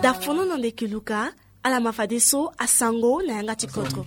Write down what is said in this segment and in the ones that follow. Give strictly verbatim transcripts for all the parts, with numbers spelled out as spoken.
Dafono na ndeke luka. Ala ma fadeso asango na yanga ti kodro.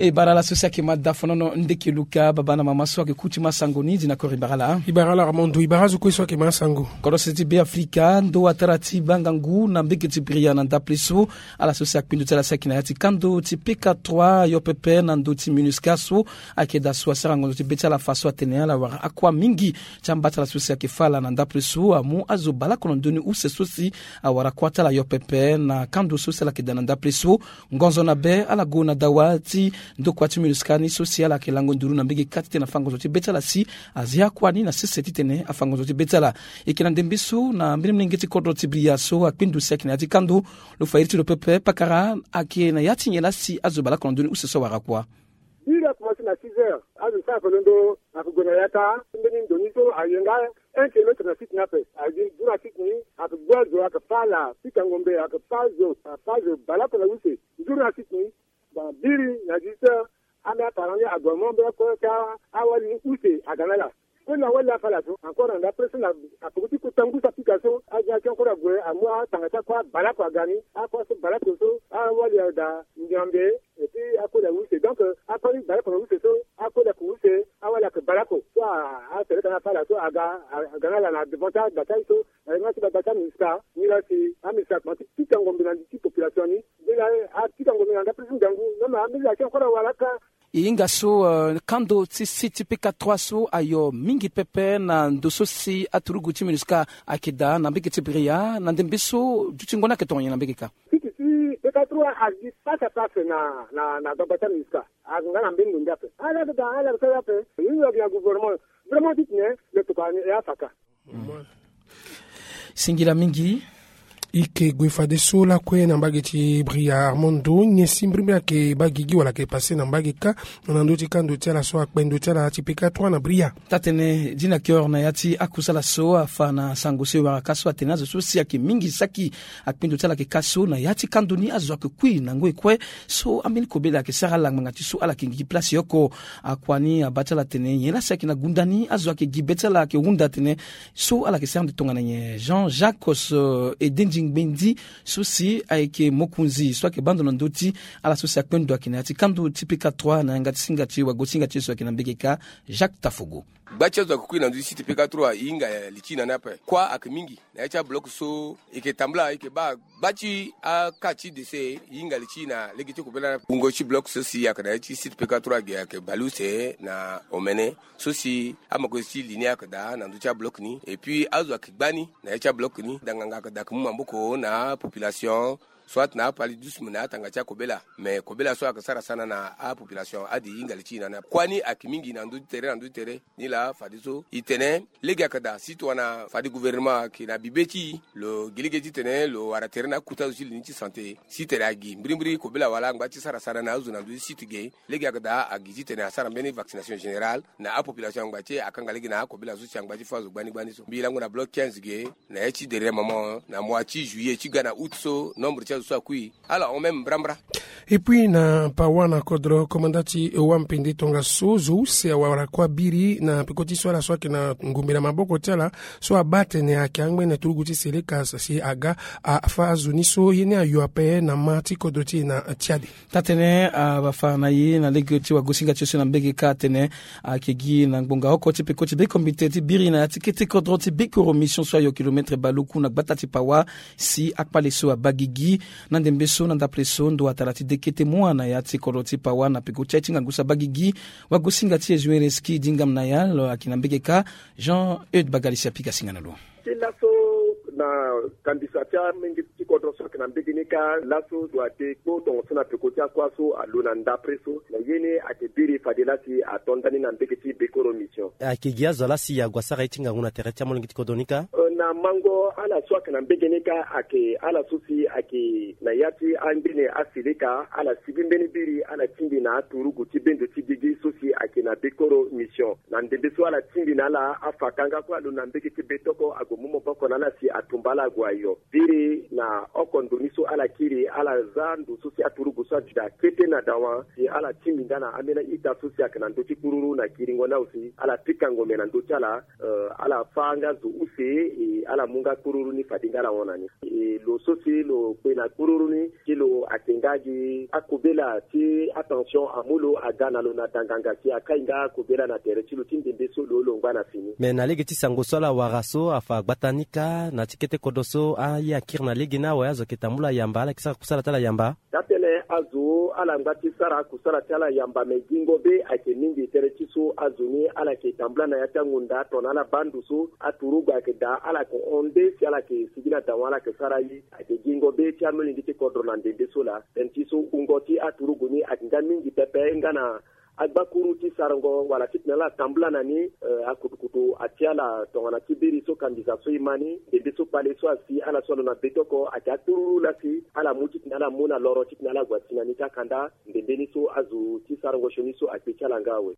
E bara ala so si ayeke ma dafono na ndeke luka, baba na mama so ayeke ku ti ma sango ni, di na koro e bara ala. E bara ala Armando, e bara azo kue so ayeke ma sango. Kodro sese ti Be Afrika, ndo atara ti baa ngangu na mbege ti Bria na ndapre so. Ala so si akpindu ti ala si ayeke na ya ti kando ti P K trois ayo pepe na ndö ti MINUSCA so ayeke daa so asara ngonzo ti be ti ala fa so atene ala wara akua mingi ti amba ti ala so si ayeke fâ ala na ndapre so amu azo baleoko na ndö ni use so si awara kuâ ti ala ayo pepe na kando so si ala yeke daa na ndapre so. Ngonzo na be ala gue na dawa ti ndokua ti MINUSCA ni so si ala yeke lango nduru na mbege kâ ti tene afâ ngonzo ti be ti ala si azia akua ni na sese ti tene afâ ngonzo ti be ti ala. E yeke na ndembe so na mbeni molenge ti kodro ti Bria so akpindu si ayeke na ya ti kando. Lo fa iri ti lo pepe pakara ayeke na ya ti nyen laa si azo baleoko na ndö ni use so awara kuâ. Biri akomanse na six heures, azo so ayeke londo ayeke gue na yaka ti mbeni ndo ni so aye nga un kilomètre na site ni ape. Aye gi journaliste ni ayeke gbu azo, ayeke fâ ala pika ngombe, ayeke fâ azo, afâ azo baleoko na use. Journaliste ni, bon, biri na dix heures, ambeni aparent ni ague mo ambeni akue ti awali ni use aga na ala. Kue na awali afâ ala so encore na ndapre so na apeko ti kota ngu so apika so, azo ni ayeke encore ague amu atanga ti akue baleoko aga ni, akue so baleoko so awali adaa Ndiambe. Et puis akue na use, donc akue ni baleoko na use so, akue na ku use, awali ayeke baleoko so, a, aseleka ni afâ ala so aga, aga na ala na devant ti agba ti aye so, na yanga ti gbagba ti MINUSCA ni laa si aMINUSCA akomanse ti pika ngombe na li ti population ni. Nde laa atika ngombe na ndapre ti ngangu, non, mais ambeni ayeke encore awara kâ. E hinga so, euh, kando ti site ti P K trois so ayo mingi pepe na ndo so si aturugu ti MINUSCA ayeke daa na mbege ti Bria, na ndembe so dutingo ni ayeke tongana nyen na mbege kâ? Site ti P K trois agi face à face na, na, na gbagba ti aMINUSCA. Aga nga na mbeni ndo nde ape. Ala ga, ala ga sara ape. Ye ni lo gi na gouvernement. Vraiment ti tene lo tokua ni e afa kâ. Singila mingi. E yeke gue fadeso lakue na mbage ti Bria Armando, nyen si mbirimbiri ayeke baa gigi wala ayeke pase na mbage kâ na ndö ti kando ti ala so akpe ndö ti ala ti P K trois na Bria. Taa-tënë Dina Kior na ya ti akusala so afa na sango so e wara kâ so atene azo so si ayeke mingi saki akpindu ti ala ayeke kâ so na ya ti kando ni azo ayeke kui na ngoi kue. So ambeni kobela ayeke sara ala ngbanga ti so ala yeke gi place oko. Akua ni abaa ti ala atene nyen laa si ayeke na gunda ni azo ayeke gi be ti ala ayeke hunda atene so ala yeke sara ande tongana nyen. Jean Jacques, euh, Edendi Ngbendi so si ayeke mokonzi so ayeke baa ndo na ndö ti ala so si akpe ndo ayeke na ya ti kando ti P K trois na yanga ti singa ti wagosinga ti ye so ayeke na mbege kâ, Jacques Tafogo. Gba ti azo ayeke kui na ndö ti site P K trois e hinga li ti e na ni ape. Kuâ ayeke mingi na ya ti abloc so e yeke tambula e yeke baa gba ti aka ti dese e hinga li ti e na lege ti kobela ni ape. Wungo ti bloc so si ayeke na ya ti site P K trois ge ayeke baleuse na omene so si amakonzi ti li ni ayeke daa na ndö ti abloc ni. Et puis azo ayeke gba ni na ya ti abloc ni, danganga ayeke daa ayeke mu maboko na apopulation. Soit na apaludisme na atanga ti akobela. Mais kobela so ayeke sara sana na apopulation ade e hinga li ti e na ni ape. Kuâ ni ayeke mingi na ndö ti tere na ndö ti tere. Ni laa fadeso e tene lege ayeke daa si tongana fade gouvernement ayeke na bibe ti e, lo gi lege titene lo wara tere na akota zo ti li ni ti santé. Si tere agi mbirimbiri kobela wala angba ti sara sana na azo na ndö ti site ge. Lege ayeke daa agi titene asara mbeni vaccination générale na apopulation angba ti e akanga lege na akobela so si angba ti fâ azo gbani gbani so. Mbi lango na bloc quinze ge na ya ti derrière moment na mois ti juillet ti ga na août so nombre ti azo so akui ala hon même mbrambra. Et puis na Pawa na kodro, komanda ti Ewa Mpende tongaso, zo use awara kuâ biri na peko ti so ala so ayeke na ngombe na maboko ti ala, so abaa atene ayeke angbene turugu ti Seleka si aga afâ azo ni so ye ni ayo ape na ma ti kodro ti e na tiade. Taa-tënë afa na ye na lege ti wagosinga ti e so na mbege kâ atene ayeke gi na ngbonga oko ti peko ti be komite ti biri na ya ti kete kodro ti Bekoro mission so ayo kilomètre baleoku na gbata ti Pawa. Si akpale so abaa gigi na ndembe so na ndapre so ndo atara ti de kete mua na ya ti kodro ti Pawa na peko ti aye ti ngangu so abaa gigi. Wagosinga ti e Zuin Reski Dingam Nayal ayeke na mbege kâ. Jean Eude Bagalisi apika singa na lo. Ti laso na kandisa ti amenge ti kodro so ayeke na mbege ni kâ, laso zo ade kpo tongaso na peko ti akuâ so alo na ndapre so na ye ni ayeke biri fade laa si ato ndani na mbege ti Bekoro mission. Ayeke gi azo laa si ague asara ye ti ngangu na tere ti amolenge ti kodro ni kâ? Euh, na mango ala so ayeke na mbege ni kâ ayeke ala so si ayeke na ya ti angbene aseleka, ala sibi mbeni biri ala tingbi na aturugu ti bendo ti gigi so si ayeke na Bekoro mission. Na ndembe so ala tingbi na ala afa kanga kue alo na mbege ti Betoko ague mu maboko na ala si atumba ala ague ayo. Biri na oko ndo ni so ala kiri ala za ndo so si aturugu so adi daa kete na dawa si ala tingbi nga na ambeni a-ita so si ayeke na ndö ti kururu na kiringo ni awe si ala pika ngombe na ndö ti ala. Euh, ala fâ nga zo use, e ala mu nga kpururu ni fade nga ala hon na ni. E lo so si lo kpe na kpururu ni, ti lo ayeke nga gi akobela ti atension amu lo aga na lo na danganga si akai nga akobela na tere ti lo ti ndembe so lo lo ngba na fini. Me na lege ti sango so ala wara so afa gbata ni kâ na ti kete kodro so aye akiri na lege ni awe azo ayeke tambula yamba ala yeke sara kusala ti ala yamba. Daa tënë azo ala ngba ti sara kusala ti ala yamba me gingo be ayeke mingi tere ti so azo ni ala yeke tambula na ya ti angunda tongana ala baa ndo so aturugu ayeke daa ala yeke hon nde si ala yeke sigi na dawa ala yeke sara ye. Ayeke gingo be ti amolenge ti kodro na ndembe so laa. Tënë ti so wungo ti aturugu ni ayeke nga mingi pepe nga na agbakuru ti sarango wala titene ala tambula na ni. Eh, akutukutu ati ala tongana ti biri so kambisa so e ma ni ndembe so kpale so asi ala so alo na betoko ayeke akpururu laa si ala mu titene ala mu na loro titene ala gue asi na ni ti akanda ndembe ni so azo ti sarango sioni so akpe ti ala nga awe.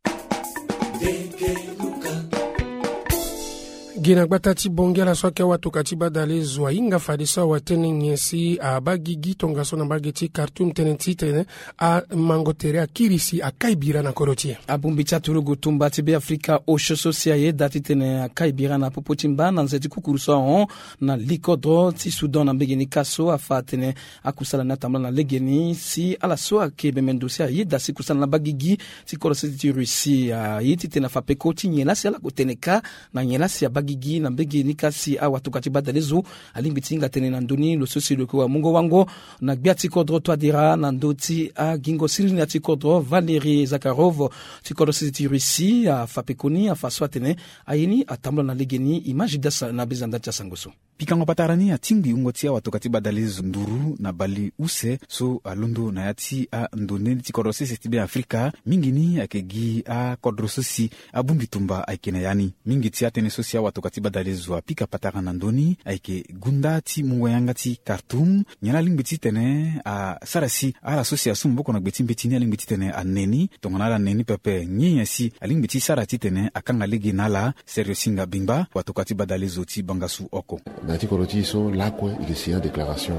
Gi na gbata ti Bangui ala so ayeke awatoka ti badale zo ahinga fadeso awa tënë nyen si abaa gigi tongaso na mbage ti Khartoum tënë titene amango tere akiri si akai bira na kodro ti e. Abongbi ti aturugu tumba ti Beafrika osio so si ayeda titene akai bira na popo ti mba na nze ti kukuru so ahon na li kodro ti Soudan na mbege ni kâ so afa atene akusala ni atambula na lege ni si ala so ayeke bembe ndo si ayeda si kusala ni abaa gigi ti kodro sese ti Russie aye titene afa peko ti nyen laa si ala gue tene kâ na nyen laa si abaa gigi na mbege ni kâ si awatoka ti badale zo alingbi ti hinga tënë na ndö ni lo so si lo yeke wamungo wango na gbia ti kodro Touadéra na ndö ti agingo siriri na ya ti kodro Valéry Zakharov ti kodro sese ti Russie afa pekoni afa so atene aye ni atambula na lege ni. Image dasa na bezanda ti asango so. Pikango patara ni atingbi wungo ti awatoka ti badale zo nduru na bale use so alondo na ya ti andonde ti kodro sese ti Beafrika mingi ni ayeke gi akodro so si abongbi tumba ayeke na ya ni. Mingi ti atënë so si awatoka ti badale zo apika patara na ndö ni ayeke gunda ti mungo yanga ti Khartoum. Nyen laa alingbi titene asara si ala so si asu maboko na gbe ti mbeti ni alingbi titene ane ni tongana ala ne ni pepe? Nyen nyen si alingbi ti sara titene akanga lege na ala? Serge Singa Bingba, watoka ti badale zo ti Bangassou oko. Na ya ti kodro ti e so lakue e ke signer déclaration.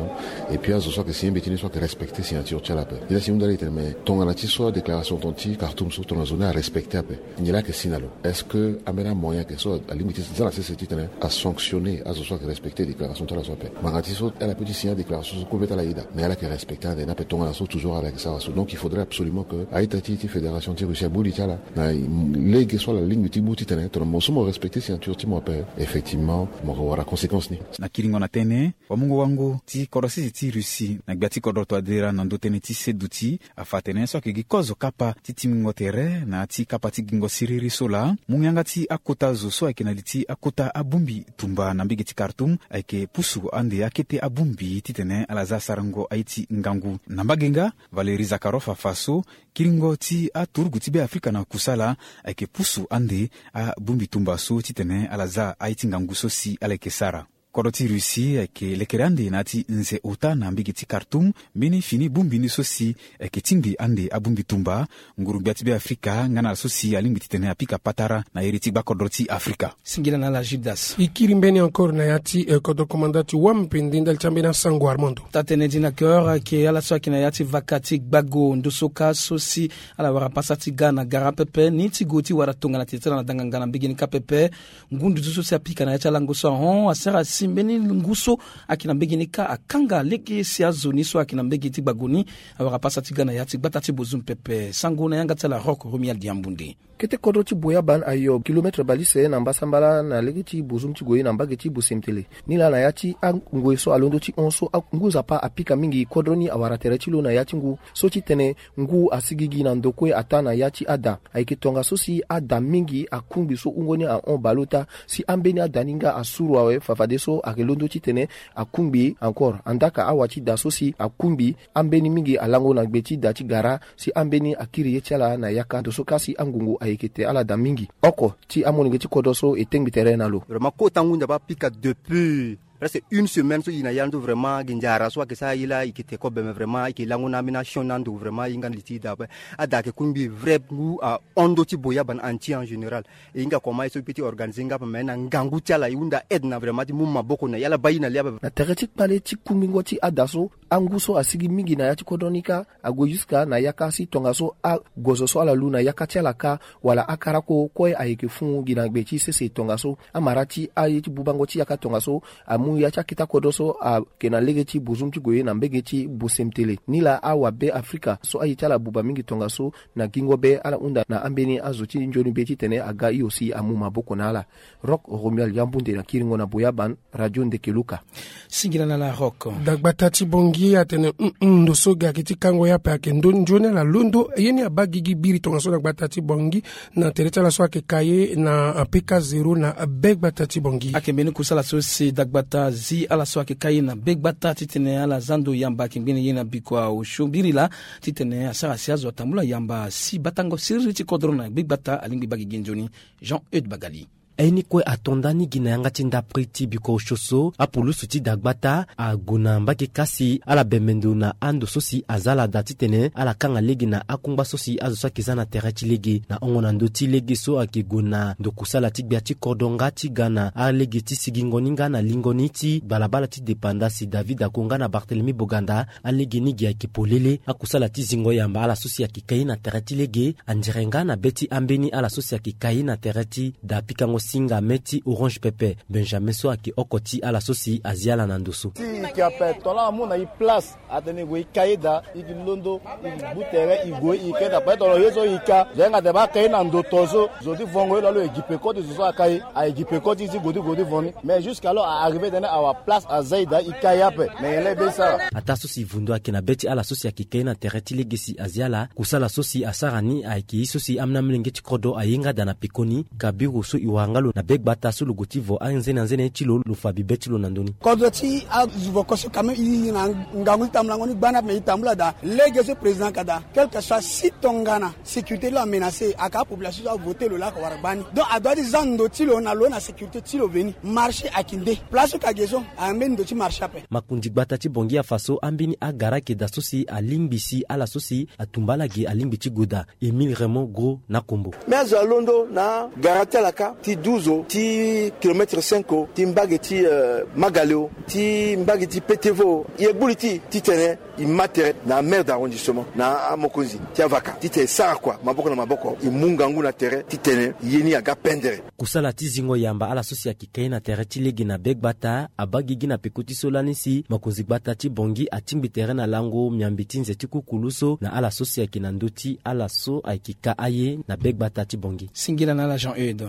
Et puis azo so ayeke signer mbeti ni so ayeke respecter signature ti ala ape. Nyen laa si e hunda ala e tene me tongana ti so adéclaration tonga ti Khartoum so tongana zo ni arespecter ape, nyen laa ayeke si na lo? Est-ce que ambeni amoyen ayeke so alingbi ti za na sese titene asanctionner azo so ayeke respecter déclaration ti ala so ape? Ngbanga ti so ala peut ti signer adéclaration so kue be ti ala ayeda, mais ala yeke respecter ande ni ape tongana so toujours ala yeke sara so. Donc il faudrait absolument que a-ita ti e ti fédération ti Russie amu li ti ala na lege so ala lingbi ti mu titene tongana mo so mo respecter signature ti mo ape, effectivement mo wara conséquence ni. Na kiringo na tënë, wamungo wango ti kodro sese ti Russie na gbia ti kodro Touadéra na ndö tënë ti seduti afa atene so ayeke gi kozo kapa ti tingbingo tere na ya ti kapa ti gingo siriri so laa mu yanga ti akota zo so ayeke na li ti akota abongbi tumba na mbage ti Khartoum ayeke pusu ande akete abongbi titene ala za sarango aye ti ngangu. Na mbage nga, Valéry Zakharov afa so kiringo ti aturugu ti Beafrika na kusala ayeke pusu ande abongbi tumba so titene ala za aye ti ngangu so si ala yeke sara. Kodro ti Russie ayeke lekere ande na ya ti nze ota na mbage ti Khartoum mbeni fini bongbi ni so si ayeke tingbi ande abongbi tumba. Nguru-gbia ti Beafrika nga na ala so si alingbi titene apika patara na iri ti gbakodro ti Afrika. Singila na ala Judas. E kiri mbeni encore na ya ti, eh, kodro komanda ti wampe nde ndali ti ambeni asango Armando. Taa-tënë Dina Cœur ayeke ala so ayeke na ya ti vaka ti gbago ndo so kâ so si ala wara pasa ti ga na gara pepe ni ti gue ti wara tongana tere ti ala na danganga na mbage ni kâ pepe. Ngu nduzu so si apika na ya ti alango so ahon asara si mbeni ngu so ayeke na mbage ni kâ akanga lege si azo ni so ayeke na mbage ti gbago ni awara pasa ti ga na ya ti gbata ti Bozoum pepe. Sango na yanga ti ala Rock Romuald Yambunde. Kete kodro ti Boyaban ayo kilometre bale use na mbasambala na lege ti Bozoum ti gue na mbage ti Bosemtele. Ni laa na ya ti angoi so alondo ti hon so angu nzapa apika mingi kodro ni awara tere ti lo na ya ti ngu so titene ngu asigigi na ndo kue ataa na ya ti ada. Ayeke tongaso si ada mingi akungbi so wungo ni ahon baleota si ambeni ada ni nga asuru awe fafadeso ayeke londo titene akungbi encore andaka awa ti da so si akungbi ambeni mingi alango na gbe ti da ti gara si ambeni akiri ye ti ala na yaka ndo so kâ si angungu ayeke te ala da mingi. Oko ti amolenge ti kodro so e tengbi tere na lo. Vraiment kota ngu nzapa apika depuis presque une semaine so e na ya ndo vraiment gi nzara so ayeke sara ye laa e yeke te kobe me vraiment e yeke lango na ambeni asioni na ando vraiment e hinga na li ti e daa ape. Ada ayeke kungbi vrai ngu ahon ndo ti Boyaban entier en général. E hinga comment ye so e peut ti organiser nga ape me na ngangu ti ala e hunda aide na vraiment ti mu maboko na e ala baa e na li ape. Na tere ti kpale ti kungbingo ti ada so angu so asigi mingi na ya ti kodro ni kâ ague jusqu'à na yaka si tongaso agozo so ala lu na yaka ti ala kâ, wala akara ko kue ayeke fû gi na gbe ti sese tongaso amara ti aye ti bubango ti yaka tongaso amu ya ti akita kodro so ayeke na lege ti bozum ti gue na mbege ti bosemtele. Nilaa awabe afrika so aye ti ala abuba mingi tongaso na gingo be ala hunda na ambeni azo ti nzoni be titene aga hio si amu maboko na ala. Rock Romuald Yambunde na kiringo na Boyaban, Radio Ndekeluka. Singila na la Rock. Dagbata ti Bongi atene, mm, mm, ndo so ga ayeke ti kango ye ape ayeke ndo nzoni ala londo ye ni abaa gigi biri tongaso na gbata ti Bongi na tere ti ala so ayeke ka ye na P K zéro na be gbata ti Bongi. Ayeke mbeni kusala so si dagbata zi ala so ayeke ka ye na be gbata titene ala za ndo yamba ayeke ngbene ye na bikua osio biri laa titene asara si azo atambula yamba si batango siriri ti kodro na gbe gbata alingbi baa gigi nzoni. Jean Eude Bagali. Aye ni kue ato nda ni gi na yanga ti ndapre ti bikua osio so apulusu ti dagbata ague na mbage kâ si ala bembe ndo na ando so si aza ala daa titene ala kanga lege na akungba so si azo so ayeke za na tere ti lege na hongo na ndö ti lege so ayeke gue na ndo kusala ti gbia ti kodro nga ti ga na alege ti sigingo ni nga na lingo ni ti balabala ti depanda si David Ako nga na Barthélemy Boganda. Alege ni gi ayeke polele akusala ti zingo yamba ala so si ayeke ka ye na tere ti lege andire nga na be ti ambeni ala so si ayeke ka ye na tere ti da pikango singa me ti Orange Pepe Benjamin so ayeke oko ti ala so si azi ala na ndo so. Ti yeke ape tongana amu na e place atene e gue e ka ye daa e ke londo e ke gbu tere e gue e ke daa peut-être lo ye so e ka zo yanga daa baa ka ye na ndo to so zo ti vongo ye lo alo e gi peko ti zo so aka ye aye gi peko ti e ti gue ti gue ti voni. Mais jusqu'à lo a arrivé tene awa place aza e daa e ka ye ape. Mais nyen laa e be sara? Ataa so si vundu ayeke na be ti ala so si ayeke ka ye na tere ti lege si azi ala kusala so si asara ni ayeke ye so si amolenge ti kodro aye nga daa na pekoni. Ka biro so e wara nga lo na be gbata so lo gue ti vo anzene anzene ti lo lo fa bibe ti lo na ndö ni. Kodro ti azo voko so quand même e na ngangu ti tambulango ni gbani ape mais e tambula daa lege so président ka daa quelque soit si tongana sécurité ti lo amenace aka apopulation so avote lo laa aka wara gbani. Donc adoit ti za ndo ti lo na lo na sécurité ti lo veni. Marché ayeke nde place so ka ge so ambeni ndo ti marché ape. Makonzi gbata ti Bongi afa so ambeni agara ayeke daa so si alingbi si ala so si atumba ala ge alingbi ti gue daa. Émile Raymond Gros na Kombo. Mais azo alondo na gara ti ala kâ ti douze ti kilomètre cinq ti mbage ti, euh, Magaleo ti mbage ti Petevo. E gbu li ti titene e ma tere na maire d'arrondissement na amokonzi ti avaka titene e sara kua maboko na maboko e mu ngangu na tere titene ye ni aga pendere. Kusala ti zingo yamba ala so si ayeke ka ye na tere ti lege na be gbata abaa gigi na peko ti so lani si makonzi gbata ti Bongi atingbi tere na lango miambi ti nze ti kukulu so na ala so si ayeke na ndö ti ala so ayeke ka aye na be gbata ti Bongi. Singila na ala Jean Eude.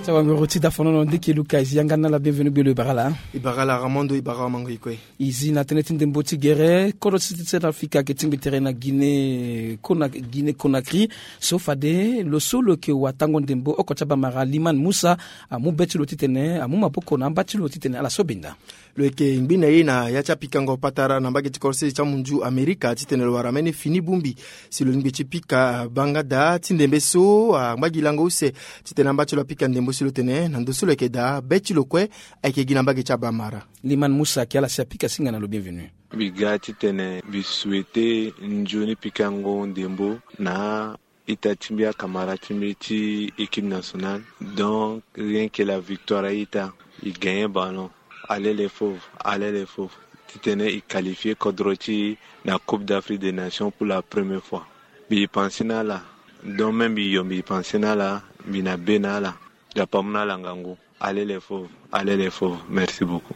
Ti awangoro ti dafonono Ndekeluka e zi yanga na ala bienvenu gbelo e bara ala. E bara ala Ramondo e bara amango e kue. E zi na tënë ti ndembo ti gere kodro ti Centrafrique ayeke tingbi tere na Guinée Cona- Guinée Conakry. So fade lo so lo yeke watango ndembo oko ti abamara Liman Musa amu be ti lo titene amu maboko na amba ti lo titene ala so benda. Lo yeke ngbi na ye na ya ti apikango patara na mbage ti korosese ti amunzu Amerika titene lo wara ambeni fini bongbi si lo lingbi ti pika banga daa ti ndembe so angba gi lango use titene amba ti lo apika ndembo si lo tene na ndo so lo yeke daa be ti lo kue ayeke gi na mbage ti abamara. Liman Musa ayeke ala si apika singa na lo bienvenu. Mbi ga titene mbi souhaite nzoni pikango ndembo na ita ti mbi akamara ti mbi ti équipe nationale. Donc rien que la victoire a ita, e gagne ballon, alele fauve, alele fauve, titene e qualifie kodro ti e na Coupe d'Afrique des Nations pour la première fois. Mbi pense na ala. Donc même mbi yo mbi pense na ala, mbi na be na ala. Dapa mu na ala ngangu. Alele fauve, alele fauve. Merci beaucoup.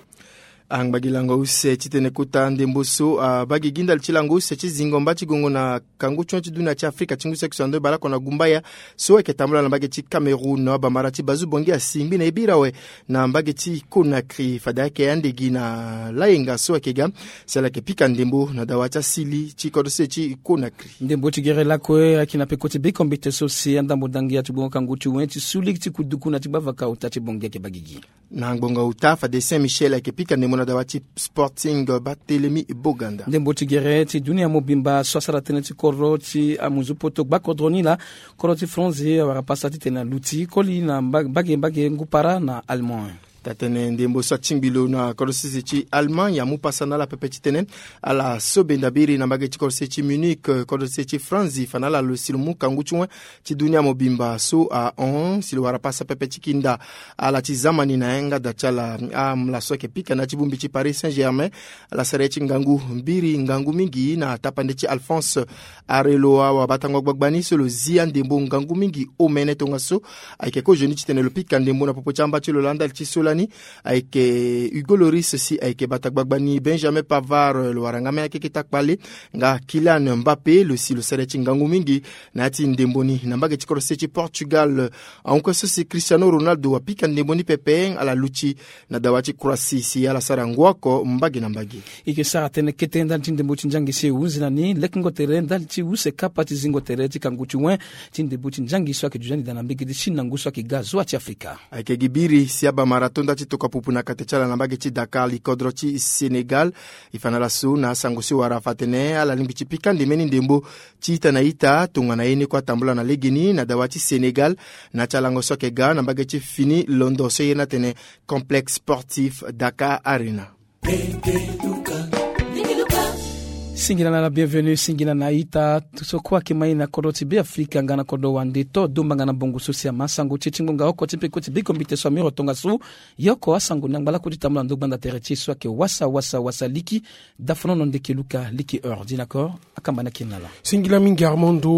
Angba gi lango use titene kota ndembo so abaa gi gi ndali ti lango use ti zingo mba ti gongo na kangu ti hon ti dunia ti Afrika ti ngu saki so ando e bale oko na gumbaya so ayeke tambula na mbage ti Cameroun. Abamara ti Bazu Bongi asi ngbi na e bira awe na mbage ti Conakry fade ayeke ande gi na layenga so ayeke ga si ala yeke pika ndembo na dawa ti asili ti kodro se ti Conakry. Ndembo ti gere lakue ayeke na peko ti bekombite so si andambo dangia ti gbongo kangu ti wen ti su ligi ti kuduku na ti gbavaka ota ti Bongi ayeke baa gigi. Na ngbonga ota fade Saint Michel ayeke pika ndembo na dawa ti Sporting Barthélemy Boganda. Ndembo ti gere ti dunia mobimba so asara tënë ti kodro ti amunzu poto gba kodro ni laa kodro ti France awara pasa titene aluti koli na mba- mbage mbage ngu para na Allemagne. Tatene ndembo so atingbi lo na kodro sese ti Allemagne amu pasa na ala pepe titene ala so benda biri na mbage ti kodro sese ti Munich, kodro sese ti France, fa na ala lo si lo mu kangu ti wen ti dunia mobimba so ahon si lo wara pasa pepe ti kinda ala ti zamani na yanga da ti ala. Amla so ayeke pika na ya ti bongbi ti Paris Saint-Germain, ala sara ye ti ngangu mbiri ngangu mingi na tapande ti Alphonse Areloa, wabatango gbagba ni so lo zi andembo ngangu mingi omene tongaso. Ayeke kozoni titene lo pika ndembo na popo ti amba ti lo laa ndali ti so lani ayeke Hugo Lloris si ayeke bata gbagba ni. Benjamin Pavard lo wara nga mê akeke ti akpale, nga Kylian Mbappé lo si lo sara ye ti ngangu mingi na ya ti ndembo ni. Na mbage ti kodro sese ti Portugal, ahon kue so si Cristiano Ronaldo apika ndembo ni pepe, ala luti na dawa ti Croatie si ala sara ngu oko mbage na mbage. E yeke sara tënë kete ndali ti ndembo ti nzangi si e hunzi na ni lekengo tere ndali ti use kapa ti zingo tere ti kangu ti wen ti ndembo ti nzangi so ayeke duti ni daa na mbage ti Chine na ngu so ayeke ga zoa ti Afrika. Ayeke gi biri si abamara to nda ti tokua pupu na kate ti ala na mbage ti Dakar, likodro ti Sénégal. E fa na ala so na asango so e wara fa atene ala lingbi ti pika ndemeni ndembo ti ita na ita tongana ye ni kue atambula na legeni na dawa ti Sénégal na ya ti alango so ayeke ga na mbage ti fini londo so e iri ni atene Complexe Sportif Dakar Arena. Singila na ala bienvenu, singila na ita so kue ayeke ma e na kodro ti Beafrika nga na kodro wande to domba nga na bongo so si ama sango ti e ti ngbonga oko ti mpe kue ti biko mbite so amiro tongaso. Ye oko asango ni angba lakue ti tambula na ndo gbanda tere ti e so ayeke wasa wasa wasa liki. Dafonono ndeke luka liki heure dinaccord. Akamba ni akiri na ala. Singila mingi Armando.